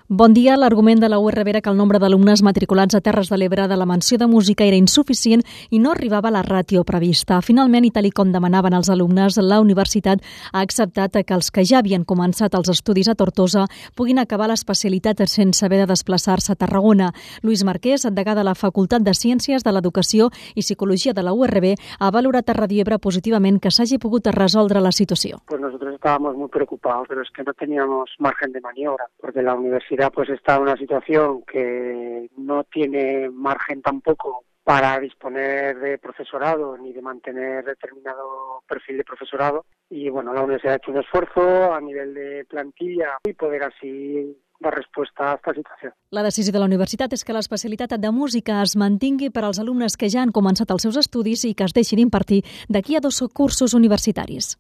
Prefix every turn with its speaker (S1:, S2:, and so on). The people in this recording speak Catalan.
S1: Bon dia. L'argument de la URB era que el nombre d'alumnes matriculats a Terres de l'Ebre de la menció de música era insuficient i no arribava a la ràtio prevista. Finalment, i tal com demanaven els alumnes, la universitat ha acceptat que els que ja havien començat els estudis a Tortosa puguin acabar l'especialitat sense haver de desplaçar-se a Tarragona. Lluís Marquès, degà de la Facultat de Ciències de l'Educació i Psicologia de la URB, ha valorat a Ràdio Ebre positivament que s'hagi pogut resoldre la situació.
S2: Pues nosotros estábamos muy preocupados, pero es que no teníamos margen de maniobra, porque la universidad pues está en una situación que no tiene margen tampoco para disponer de profesorado ni de mantener determinado perfil de profesorado. Y bueno, la universidad ha hecho un esfuerzo a nivel de plantilla y poder así dar resposta a aquesta situació.
S1: La decisió de la universitat és que l'especialitat de música es mantingui per als alumnes que ja han començat els seus estudis i que es deixin d'impartir d'aquí a 2 cursos universitaris.